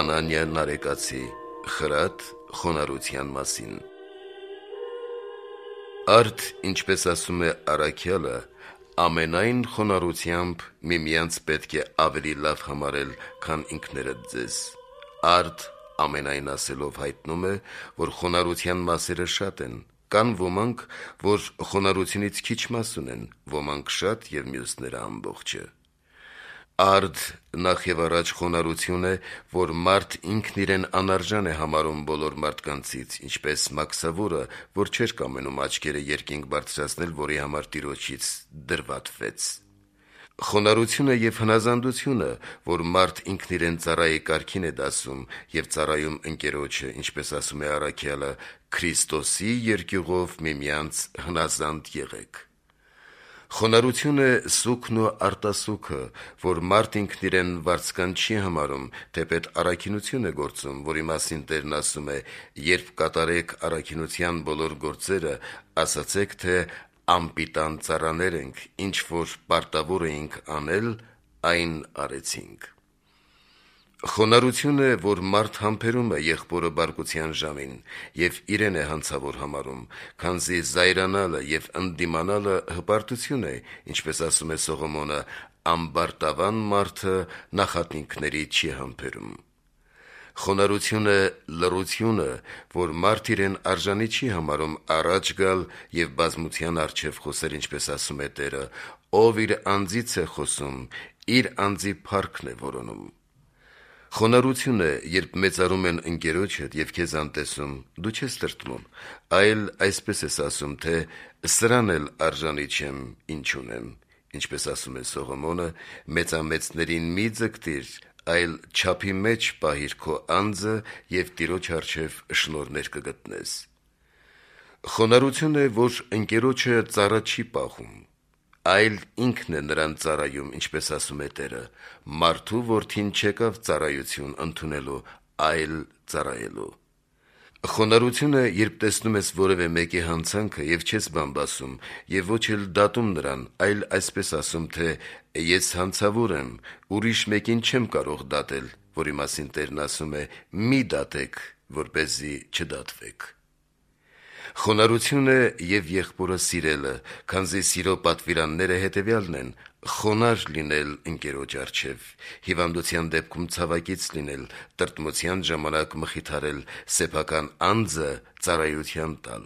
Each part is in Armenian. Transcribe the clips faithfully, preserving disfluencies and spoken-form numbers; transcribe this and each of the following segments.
Անանիա Նարեկացի խրատ խոնարհության մասին։ Արդ, ինչպես ասում է առաքյալը, ամենայն խոնարհությամբ միմյանց պետք է ավելի լավ համարել, քան ինքներդ ձեզ։ Արդ ամենայն ասելով հայտնում է, որ խոնարհության մասերը շատ են, կան ոմանք, որ խոնարհությունից քիչ մաս ունեն, ոմանք շատ և մյուսները ամբողջը։ Արդ նախ և առաջ խոնարհություն է, որ մարդ ինքն իրեն անարժան է համարում բոլոր մարդկանցից, ինչպես մաքսավորը, որ չէր կամենում աչքերը երկինք բարձրացնել, որի համար Տիրոջից դրվատվեց։ Խոնարհությունը և հնազանդությունը, որ մարդ ինքն իրեն ծառայի կարգին է դասում և ծառայում ընկերոջը, ինչպես ասում է առաքյալը, Քրիստոսի երկյուղով միմյանց հնազանդ եղեք։ Խոնարհություն է սուգն ու արտասուքը, որ մարդ ինքն իրեն վարձկան չի համարում, թեպետ առաքինություն է գործում, որի մասին Տերն ասում է. «Երբ կատարեք առաքինության բոլոր գործերը, ասացեք, թե անպիտան ծառաներ ենք, ինչ որ պարտավոր էինք անել, այն արեցինք»։ Խոնարհություն է, որ մարդ համբերում է եղբորը բարկության ժամին և իրեն է հանցավոր համարում, քանզի զայրանալը և ընդդիմանալը հպարտություն է, ինչպես ասում է Սողոմոնը. «Ամբարտավան մարդը նախատինքների չի համբերում»։ Խոնարհություն է լռությունը, որ մարդ իրեն արժանի չի համարում առաջ գալ և բազմության առջև խոսել, ինչպես ասում է Տերը. «Ով իր անձից է խոսում, իր անձի փառքն է որոնում»։ Խոնարհություն է, երբ մեծարում են ընկերոջդ և քեզ անտեսում, դու չես տրտմում, այլ այսպես ես ասում, թե «Սրան էլ արժանի չեմ, ինչ ունեմ», ինչպես ասում է Սողոմոնը. «Մեծամեծներին մի ձգտիր, այլ չափի մեջ պահիր քո անձը և Տիրոջ առջև շնորհներ կգտնես»։ Խոնարհություն է, որ ընկերոջը ծառա չի պահում, այլ ինքն է նրան ծառայում, ինչպես ասում է Տերը. «Մարդու որդին չեկավ ծառայություն ընդունելու, այլ ծառայելու»։ Խոնարհություն է, երբ տեսնում ես որևէ մեկի հանցանքը և չես բամբասում և ոչ էլ դատում նրան, այլ այսպես ասում, թե «Ես հանցավոր եմ, ուրիշ մեկին չեմ կարող դատել», որի մասին Տերն ասում է. «Մի դատեք, որպեսզի չդատվեք»։ Խոնարհություն է և եղբորը սիրելը, քանզի սիրո պատվիրանները հետևյալն են. խոնարհ լինել ընկերոջ առջև, հիվանդության դեպքում ցավակից լինել, տրտմության ժամանակ մխիթարել, սեփական անձը ծառայության տալ։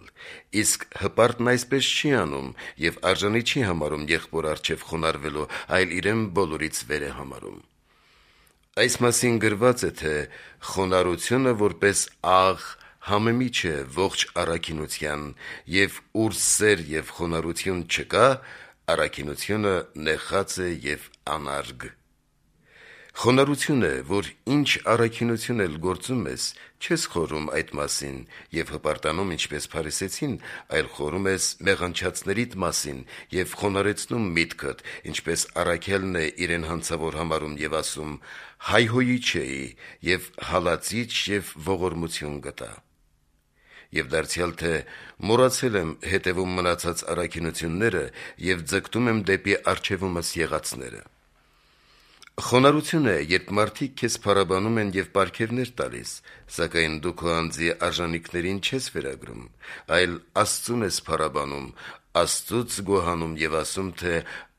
Իսկ հպարտն այսպես չի անում և արժանի չի համարում եղբոր առջև խոնարհվելու, այլ իրեն բոլորից վեր է համարում։ Այս մասին գրված է, թե «Խոնարհությունը որպես աղ համեմիջ է ողջ առաքինության, և ուր սեր և խոնարհություն չկա, առաքինությունը նեխած է և անարգ»։ Խոնարհություն է, որ ինչ առաքինություն էլ գործում ես, չես խորհում այդ մասին և հպարտանում, ինչպես փարիսեցին, այլ խորհում ես մեղանչածներիդ մասին և խոնարհեցնում միտքդ, ինչպես առաքյալն է իրեն հանցավոր համարում և ասում. «Հայհոյիչ էի և հալածիչ և ողորմություն գտա»։ Եվ դարձյալ թե «Մոռացել եմ հետևում մնացած առաքինությունները և ձգտում եմ դեպի առջևումս եղածները»։ Խոնարհություն է, երբ մարդիկ քեզ փառաբանում են և պարգևներ տալիս, սակայն դու քո անձի արժանիքներին չես վերագրում, այլ Աստծուն ես փառաբանում, Աստծուց գոհանում և ասում, թե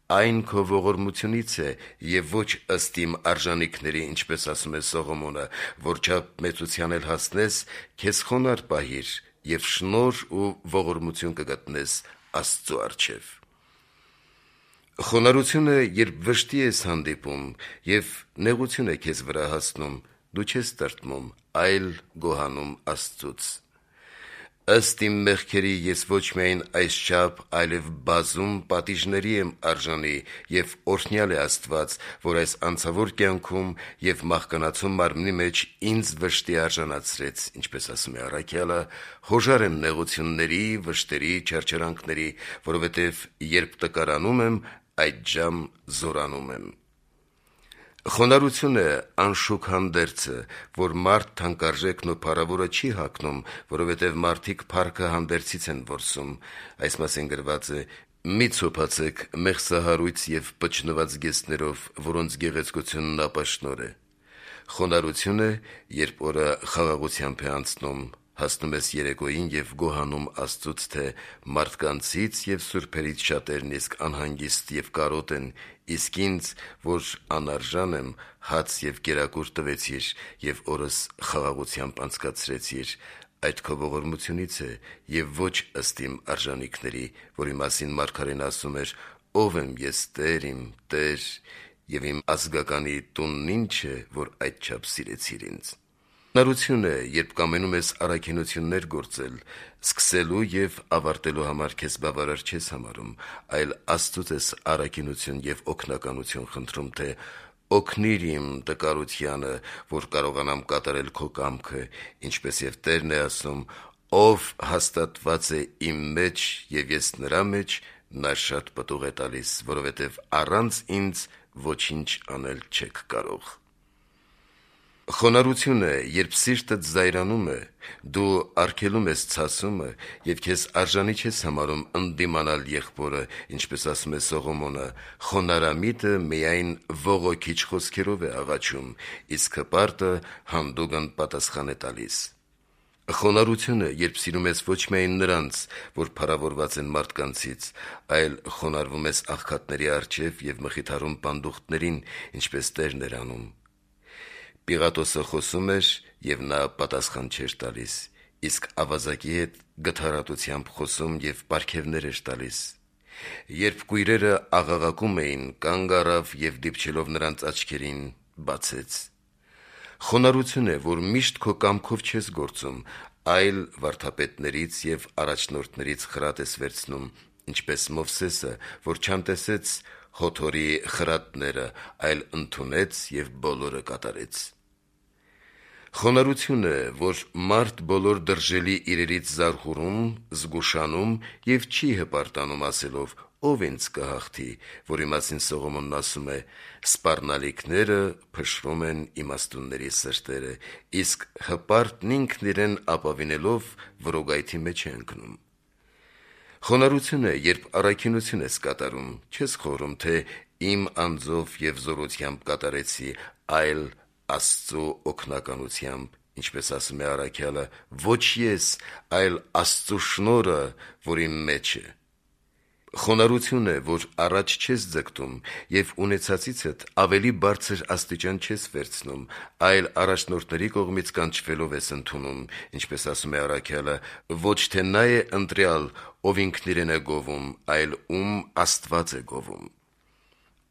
«Այն քո ողորմությունից է և ոչ ըստ իմ արժանիքների, ինչպես ասում է Սողոմոնը, որչափ մեծության էլ հասնես, քեզ խոնարհ պահիր և շնորհ ու ողորմություն կգտնես Աստծու առջև»։ Խոնարհություն է, երբ վշտի ես հանդիպում և նեղություն է քեզ վրա հասնում, դու չես տրտմում, այլ գոհանում Աստծուց. «Ըստ իմ մեղքերի ես ոչ միայն այսչափ, այլև բազում պատիժների եմ արժանի, և օրհնյալ է Աստված, որ այս անցավոր կյանքում և մահկանացու մարմնի մեջ ինձ վշտի արժանացրեց, ինչպես ասում է առաքյալը, հոժար եմ նեղությունների, վշտերի, չարչարանքների, որովհետև երբ տկարանում եմ, այդժամ զորանում եմ»։ Խոնարհություն է անշուք հանդերձը, որ մարդ թանկարժեքն ու փառավորը չի հագնում, որովհետև մարդիկ փառքը հանդերձից են որսում։ Այս մասին գրված է. «Մի ցոփացեք մեղսահարույց և պճնված գեստներով, որոնց գեղեցկությունն ապաշնոր է»։ Խոնարհություն է, երբ օրը խաղաղությամբ է անցնում, հասնում ես երեկոյին եւ գոհանում Աստծուց, թե մարդկանցից եւ սուրբերից շատերն իսկ անհանգիստ եւ կարոտ են, իսկ ինձ, որ անարժան եմ, հաց եւ կերակուր տվեցիր եւ օրս խաղաղությամբ անցկացրեցիր, այդ քո ողորմությունից է եւ ոչ ըստ իմ արժանիքների, որի մասին մարգարեն ասում էր. «Ով եմ ես, Տեր իմ, Տեր, եւ իմ ազգականի տունն ինչ է, որ այդչափ սիրեցիր ինձ»։ Խոնարհություն է, երբ կամենում ես առաքինություններ գործել, սկսելու եւ ավարտելու համար քեզ բավարար չես համարում, այլ Աստծուց ես առաքինություն եւ օգնականություն խնդրում, թե օգնիր իմ տկարությանը, որ կարողանամ կատարել քո կամքը, ինչպես եւ Տերն է ասում. «Ով հաստատված է իմ մեջ եւ ես նրա մեջ, նա շատ պտուղ է տալիս, որովհետեւ առանց ինձ ոչինչ անել չեք կարող»։ Խոնարհություն է, երբ սիրտդ զայրանում է, դու արգելում ես ցասումը եւ քեզ արժանի չես համարում ընդդիմանալ եղբորը, ինչպես ասում է Սողոմոնը. «Խոնարհամիտը միայն ողոքիչ խոսքերով է աղաչում, իսկ հպարտը հանդուգն պատասխան է տալիս»։ Խոնարհություն է, երբ սիրում ես ոչ միայն նրանց, որ փառավորված են մարդկանցից, այլ խոնարհվում ես աղքատների առջև եւ մխիթարում պանդուխտներին, ինչպես Տերն էր անում։ Պիղատոսը խոսում էր, եւ նա պատասխան չէր տալիս, իսկ ավազակի հետ գթառատությամբ խոսում եւ պարգևներ էր տալիս։ Երբ կույրերը աղաղակում էին, կանգ առավ եւ դիպչելով նրանց աչքերին բացեց։ Խոնարհություն է, որ միշտ քո կամքով չես գործում, այլ վարդապետներից եւ առաջնորդներից խրատ ես վերցնում, ինչպես Մովսեսը, որ չանտեսեց Հոթորի խրատները, այլ ընդունեց եւ բոլորը կատարեց։ Խոնարհություն է, որ մարդ բոլոր դրժելի իրերից զարհուրում, զգուշանում եւ չի հպարտանում ասելով. «Ով ինձ կհաղթի», որի մասին Սողոմոնն ասում է. «Սպառնալիքները փշրում են իմաստունների սրտերը, իսկ հպարտն ինքն իրեն ապավինելով որոգայթի մեջ է ընկնում»։ Խոնարհություն է, երբ առաքինություն ես կատարում, չես խորհում, թե իմ անձով եւ զորությամբ կատարեցի, այլ Աստծո օգնականությամբ, ինչպես ասում է առաքյալը. «Ոչ ես, այլ Աստծո շնորհը, որ իմ մեջ է»։ Խոնարհություն է, որ առաջ չես ձգտում եւ ունեցածիցդ ավելի բարձր աստիճան չես վերցնում, այլ առաջնորդների կողմից կանչվելով ես ընդունում, ինչպես ասում է առաքյալը. «Ոչ թե նա է ընտրյալ, ով ինքն իրեն է գովում, այլ ում Աստված է գովում»։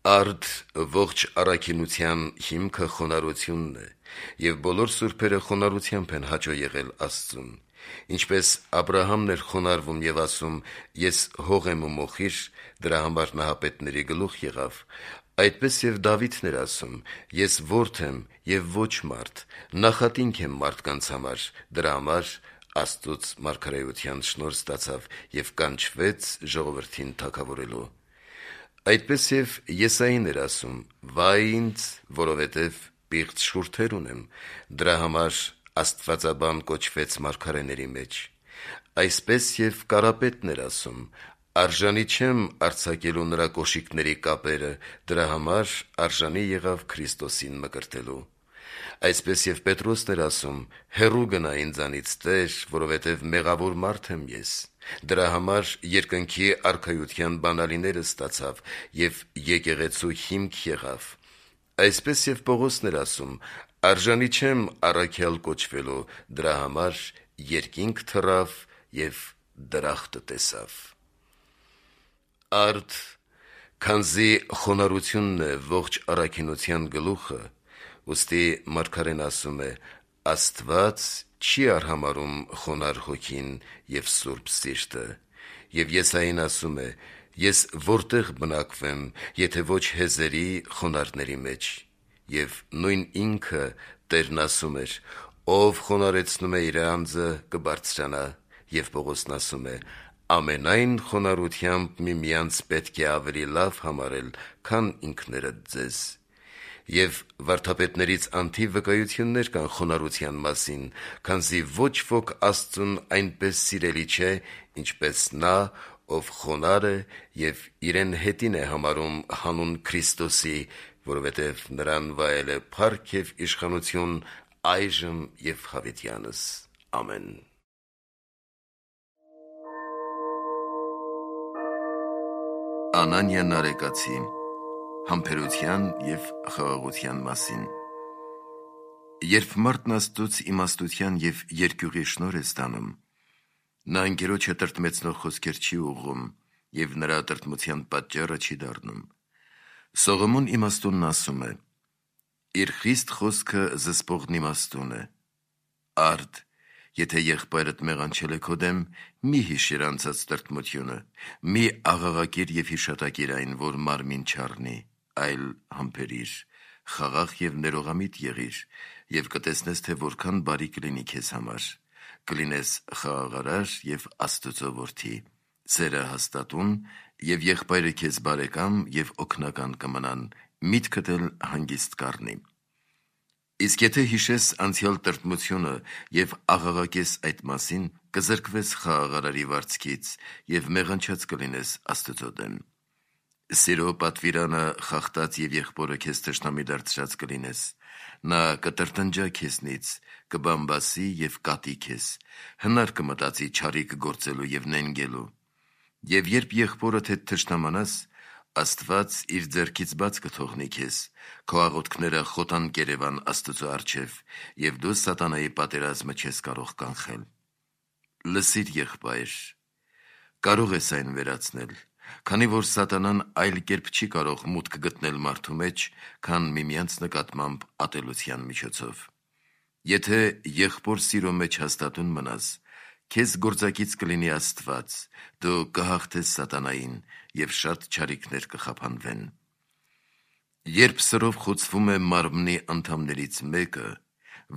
Արդ ողջ առաքինության հիմքը խոնարհությունն է, եւ բոլոր սուրբերը խոնարհությամբ են հաճո եղել Աստծուն։ Ինչպես Աբրահամն էր խոնարհվում եւ ասում. «Ես հող եմ ու մոխիր», դրա համար նահապետների գլուխ եղավ, այդպես եւ Դավիթն էր ասում. «Ես որդի եմ եւ ոչ մարդ, նախատինք եմ մարդկանց համար», դրա համար Աստծուց մարգարեության շնորհ ստացավ եւ կանչվեց ժողովրդին թագավորելու։ Այդպես եւ Եսային էր ասում. «Վայ ինձ, որովհետեւ պիղծ շուրթեր ունեմ», դրա համար Աստվածաբան կոչվեց մարգարեների մեջ։ Այսպես եւ Կարապետն էր ասում. «Արժանի չեմ արձակելու նրա կոշիկների կապերը», դրա համար արժանի եղավ Քրիստոսին մկրտելու։ Այսպես եւ Պետրոսն էր ասում. «Հեռու գնա ինձանից, Տեր, որովհետեւ մեղավոր մարդ եմ ես», դրա համար երկնքի արքայության բանալիները ստացավ եւ եկեղեցու հիմք եղավ։ Այսպես եւ Պողոսն էր ասում. «Արժանի չեմ առաքյալ կոչվելու», դրա համար երկինք թռավ եւ դրախտը տեսավ։ Արդ, քանզի խոնարհությունն է ողջ առաքինության գլուխը, ուստի մարգարեն ասում է. «Աստված չի արհամարհում խոնարհ հոգին եւ սուրբ սիրտը»։ Եվ Եսային ասում է. «Ես որտեղ բնակվեմ, եթե ոչ հեզերի խոնարհների մեջ»։ Եվ նույն ինքը Տերն ասում էր. «Ով խոնարհեցնում է իր անձը, կբարձրանա»։ Եվ Պողոսն ասում է. «Ամենայն խոնարհությամբ միմյանց պետք է ավելի լավ համարել, քան ինքներդ ձեզ»։ Եվ վարդապետներից անթիվ վկայություններ կան խոնարհության մասին, քանզի ոչ ոք Աստծուն այնպես սիրելի չէ, ինչպես նա, ով խոնար է եւ իրեն հետին է համարում հանուն Քրիստոսի, որովհետեւ նրան վայել է փառք եւ իշխանություն այժմ եւ հավիտյանս։ Ամեն։ Անանիա Նարեկացի համբերության եւ խաղաղության մասին։ Երբ մարդն Աստծուց իմաստության եւ երկյուղի շնորհ է ստանում, նա անգերոջը տրտմեցնող խոսքեր չի ուղղում եւ նրա տրտմության պատճառը չի դառնում։ Սողոմոն իմաստունն ասում է. «Իր խիստ խոսքը զսպողն իմաստուն է։ Արդ, եթե եղբայրդ մեղանչել է քո դեմ, մի հիշիր անցած տրտմությունը, մի աղաղակիր եւ հիշատակիր այն, որ մարմին չառնի, այլ համբերիր, խաղաղ եւ ներողամիտ եղիր, եւ կտեսնես, թե որքան բարի կլինի քեզ համար, կլինես խաղաղարար եւ Աստծո որդի, սերը հաստատուն, եւ եղբայրը քեզ բարեկամ եւ օգնական կմնան, միտքդ էլ հանգիստ կառնի։ Իսկ եթե հիշես անցյալ տրտմությունը եւ աղաղակես այդ մասին, կզրկվես խաղաղարարի վարձքից եւ մեղանչած կլինես Աստծո դեմ։ Սիրո պատվիրանը խախտած եւ եղբորը քեզ թշնամի դարձրած կլինես, նա կտրտնջա քեզնից, կբամբասի եւ կատի քեզ, հնար կմտածի չարիք գործելու եւ նենգելու։ Եվ երբ եղբորդ հետ թշնամանաս, Աստված իր ձեռքից բաց կթողնի քեզ, քո աղոթքները խոտան կերևան Աստծո առջև, եւ դու սատանայի պատերազմը չես կարող կանխել։ Լսիր, եղբայր, կարող ես այն վերացնել, քանի որ սատանան այլ կերպ չի կարող մուտք գտնել մարդու մեջ, քան միմյանց նկատմամբ ատելության միջոցով։ Եթե եղբոր սիրո մեջ հաստատուն մնաս, քեզ գործակից կլինի Աստված, դու կհաղթես սատանային եւ շատ չարիքներ կխափանվեն։ Երբ սրով խոցվում է մարմնի անդամներից մեկը,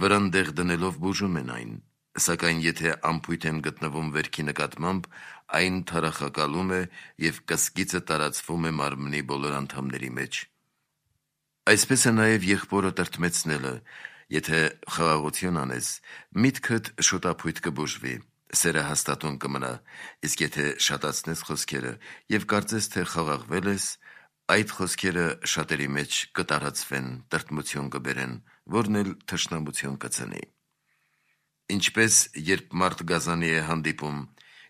վրան դեղ դնելով բուժում են այն, սակայն եթե ամփույթ են գտնվում վերքի նկատմամբ, այն թարախակալում է եւ կսկիծը տարածվում է մարմնի բոլոր անդամների մեջ։ Այսպես է նաեւ եղբորը տրտմեցնելը, եթե խաղաղություն անես, միտքդ շոտափույթ կբուժվի, սերը հաստատուն կմնա, իսկ եթե շատացնես խոսքերը եւ կարծես, թե խաղաղվել ես, այդ խոսքերը շատերի մեջ կտարածվեն, տրտմություն կբերեն, որն էլ թշնամություն կծնի։ Ինչպես երբ մարդ գազանի է հանդիպում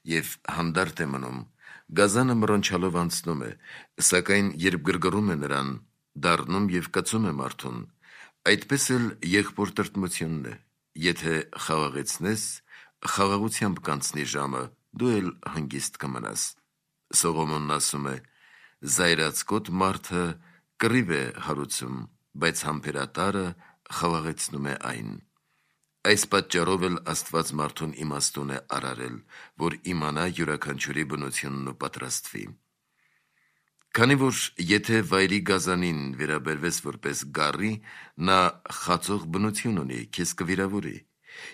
եւ հանդարտ է մնում, գազանը մռնչալով անցնում է, սակայն երբ գրգռում է նրան, դառնում եւ կծում է մարդուն, այդպես էլ եղբոր տրտմությունն է, եթե խաղաղեցնես, խաղաղությամբ կանցնի ժամը, դու էլ հանգիստ կմնաս։ Սողոմոնն ասում է. «Զայրացկոտ մարդը կռիվ է հարուցում, բայց համբերատարը խաղաղեցնում է այն»։ Այս պատճառով էլ Աստված մարդուն իմաստուն է արարել, որ իմանա յուրաքանչյուրի բնությունն ու պատրաստվի։ Քանի որ եթե վայրի գազանին վերաբերվես որպես գառի, նա խածող բնություն ունի, քեզ կվիրավորի։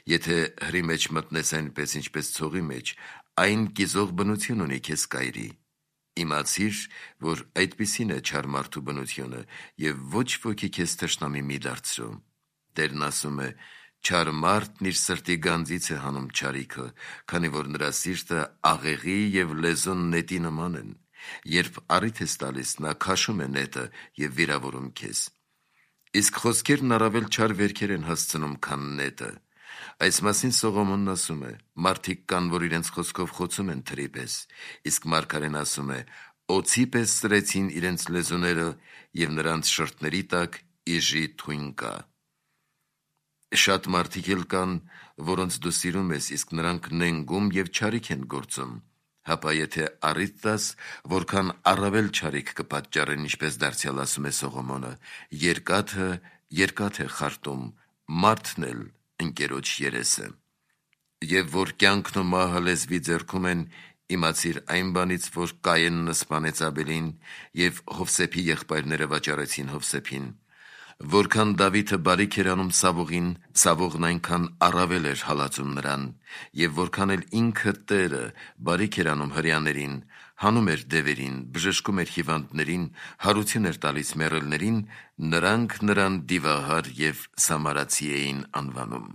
Եթե հրի մեջ մտնես այնպես, ինչպես ցողի մեջ, այն կիզող բնություն ունի, քեզ կայրի։ Իմացիր, որ այդպիսին է չար մարդու բնությունը, եւ ոչ ոքի քեզ թշնամի մի դարձրու։ Տերն ասում է. «Չար մարդն իր սրտի գանձից է հանում չարիքը, քանի որ նրա սիրտը աղեղի եւ լեզուն նետի նման են։ Երբ առիթ ես տալիս, նա քաշում է նետը եւ վիրավորում քեզ»։ Իսկ խոսքերն առավել չար վերքեր են հասցնում, քան նետը։ Այս մասին Սողոմոնն ասում է. «Մարդիկ կան, որ իրենց խոսքով խոցում են թրի պես, իսկ մարգարեն ասում է. օձի պես սրեցին իրենց լեզուները եւ նրանց շրթների տակ իժի թույն կա»։ Շատ մարդիկ էլ կան, որոնց դու սիրում ես, իսկ նրանք նենգում եւ չարիք են գործում, հապա եթե առիթ տաս, որքան առավել չարիք կպատճառեն, ինչպես դարձյալ ասում է Սողոմոնը, երկաթը երկաթ է խարտում, մարդն էլ ընկերոջ երեսը։ Եվ որ կյանքն ու մահը լեզվի ձեռքում են, իմացիր այն բանից, որ Կայենն սպանեց Աբելին եւ Հովսեփի եղբայրները վաճառեցին Հովսեփին։ Որքան Դավիթը բարիք էր անում Սավողին, Սավողն այնքան առավել էր հալածում նրան, եւ որքան էլ ինքը Տերը բարիք էր անում հրեաներին, հանում էր դևերին, բժշկում էր հիվանդներին, հարություն էր տալիս մեռելներին, նրանք նրան դիվահար եւ սամարացի էին անվանում։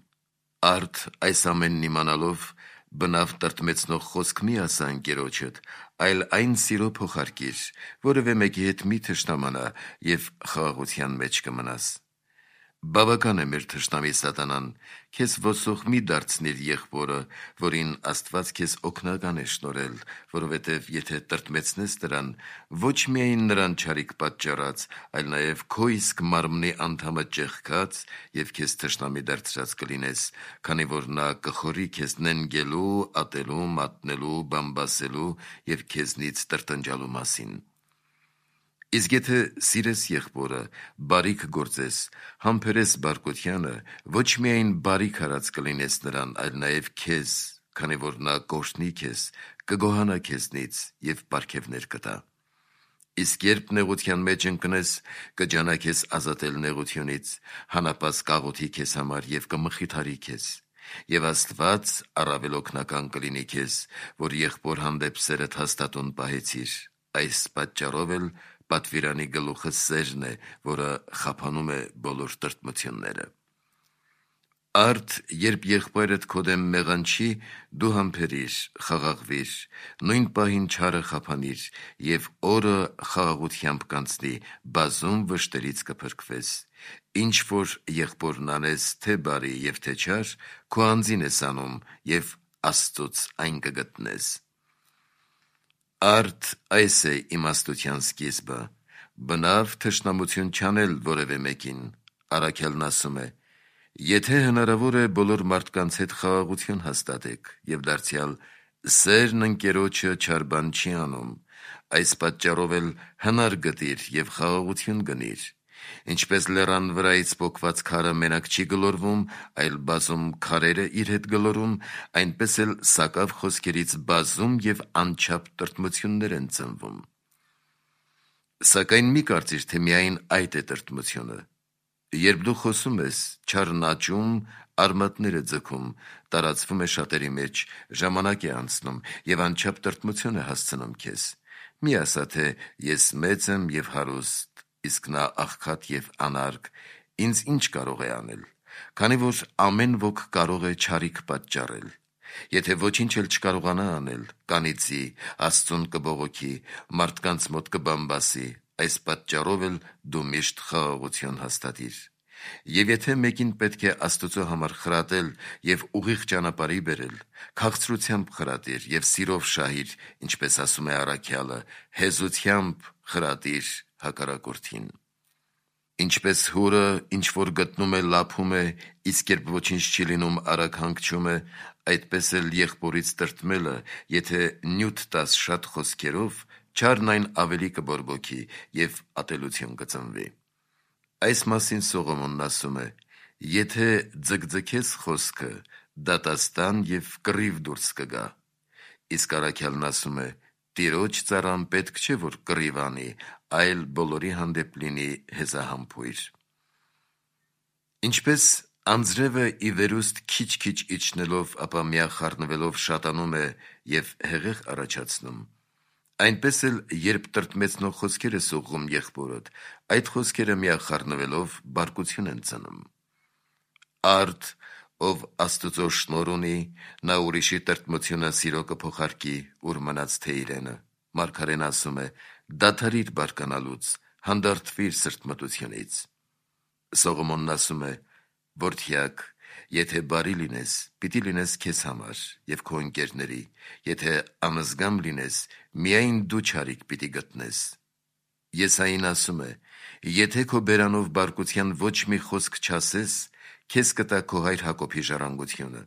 Արդ այս ամենն իմանալով, բնավ տրտմեցնող խոսք մի ասա ընկերոջդ, այլ այն սիրո փոխարկիր, որևէ մեկի հետ մի թշնամանա եւ խաղաղության մեջ կմնաս։ Բավական է մեր թշնամի սատանան, քեզ ոսող մի դարձնիր եղբորը, որին Աստված քեզ օգնական է շնորհել, որովհետև եթե տրտմեցնես նրան, ոչ միայն նրան չարիք պատճառած, այլ նաև քո իսկ մարմնի անդամը ճեղքած եւ քեզ թշնամի դարձրած կլինես, քանի որ նա կխորի քեզ նենգելու, ատելու, մատնելու, բամբասելու եւ քեզնից տրտնջալու մասին։ Իսկ եթե սիրես եղբորը, բարիք գործես, համբերես բարկությանը, ոչ միայն բարիք արած կլինես նրան, այլ նաև քեզ, քանի որ նա կօրհնի քեզ, կգոհանա քեզնից եւ պարգևներ կտա։ Իսկ երբ նեղության մեջ ընկնես, կջանա քեզ ազատել նեղությունից, հանապաս կաղոթի քեզ համար եւ կմխիթարի քեզ։ Եվ Աստված առավել օգնական կլինի քեզ, որ եղբոր հանդեպ սերդ հաստատուն պահեցիր։ Այս պատճառով էլ պատվիրանի գլուխը սերն է, որը խափանում է բոլոր տրտմությունները։ Արդ, երբ եղբայրդ քո դեմ մեղանչի, դու համբերիր, խաղաղվիր, նույն պահին չարը խափանիր եւ օրը խաղաղությամբ կանցնի, բազում վշտերից կփրկվես։ Ինչ որ եղբորն անես, թե բարի եւ թե չար, քո անձին ես անում եւ Աստծոց այն կգտնես։ Արդ այս է իմաստության սկիզբը, բնավ թշնամություն չանել որևէ մեկին։ Առաքյալն ասում է. եթե հնարավոր է բոլոր մարդկանց հետ խաղաղություն հաստատեք եւ դարձյալ սերն ընկերոջը չար բան չի անում, այս պատճառով էլ հնար գտիր եւ խաղաղություն գնիր։ Ինչպես լեռան վրայից պոկված քարը մենակ չի գլորվում, այլ բազում քարերը իր հետ գլորում, այնպես էլ սակավ խոսքերից բազում եւ անչափ տրտմություններ են ծնվում։ Սակայն մի կարծիր, թե միայն այդ է տրտմությունը։ Երբ դու խոսում ես, չարն աճում, արմատները ձգում, տարածվում է շատերի մեջ, ժամանակ է անցնում եւ անչափ տրտմություն է հասցնում քեզ։ Մի ասա, թե ես մեծ եմ եւ հարուստ, իսկ նա աղքատ եւ անարգ, ինձ ինչ կարող է անել, քանի որ ամեն ոք կարող է չարիք պատճառել։ Եթե ոչինչ էլ չկարողանա անել, կանիծի, Աստծուն կբողոքի, մարդկանց մոտ կբամբասի, այս պատճառով էլ դու միշտ խաղաղություն հաստատիր։ Եվ եթե մեկին պետք է Աստծո համար խրատել եւ ուղիղ ճանապարհի բերել, քաղցրությամբ խրատիր եւ սիրով շահիր, ինչպես ասում է առաքյալը, հեզությամբ խրատիր հակառակորդին։ Ինչպես հուրը, ինչ որ գտնում է, լափում է, իսկ երբ ոչինչ չի լինում, արագ հանգչում է, այդպես էլ եղբորից տրտմելը, եթե նյութ տաս շատ խոսքերով, չարն այն ավելի կբորբոքի եւ ատելություն կծնվի։ Այս մասին Սողոմոնն ասում է. եթե ձգձգես խոսքը, դատաստան եւ կռիվ դուրս կգա։ Իսկ առաքյալն ասում է. Տիրոջ ծառան պետք չէ, որ կռիվ անի, այլ բոլորի հանդեպ լինի հեզահամբույր։ Ինչպես անձրևը ի վերուստ քիչ-քիչ իջնելով, ապա միախառնվելով շատանում է եւ հեղեղ առաջացնում, այնպես էլ երբ տրտմեցնող խոսքեր ես ուղղում եղբորդ, այդ խոսքերը միախառնվելով բարկություն են ծնում։ Արդ, ով Աստծո շնորհ ունի, նա ուրիշի տրտմությունը սիրո կփոխարկի, ուր մնաց թե իրենը։ Մարգարեն ասում է. դադարիր բարկանալուց, հանդարտվիր սրտմտությունից։ Սողոմոնն ասում է. որդյակ, եթե բարի լինես, պիտի լինես քեզ համար եւ քո ընկերների, եթե անզգամ լինես, միայն դու չարիք պիտի գտնես։ Եսային ասում է. եթե քո բերանով բարկության ոչ մի խոսք չասես, քեզ կտա քո հայր Հակոբի ժառանգությունը։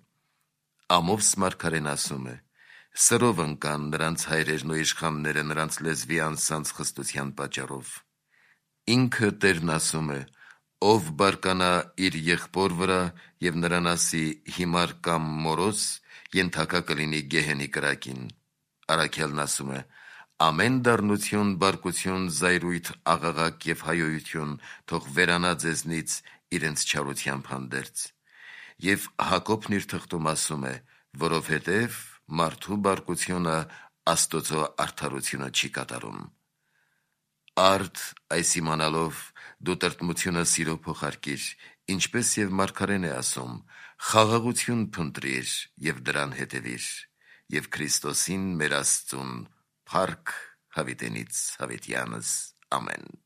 Ամովս մարգարեն ասում է. սրով ընկան նրանց հայրերն ու իշխանները նրանց լեզվի անսանց խստության պատճառով։ Ինքը Տերն ասում է. ով բարկանա իր եղբոր վրա եւ նրան ասի հիմար կամ մորոս, ենթակա կլինի գեհենի կրակին։ Առաքյալն ասում է. ամեն դառնություն, բարկություն, զայրույթ, աղաղակ եւ հայոյություն թող վերանա ձեզնից իրենց չարությամբ հանդերձ։ Եվ Հակոբն իր թղթում ասում է, որովհետև մարդու բարկությունը Աստծո արդարությունը չի կատարում։ Արդ այս իմանալով դու տրտմությունը սիրո փոխարկիր, ինչպես եւ մարգարեն է ասում, խաղաղություն փնտրիր եւ դրան հետեւիր, եւ Քրիստոսին մեր Աստծուն փառք հավիտենից հավիտյանս ամեն։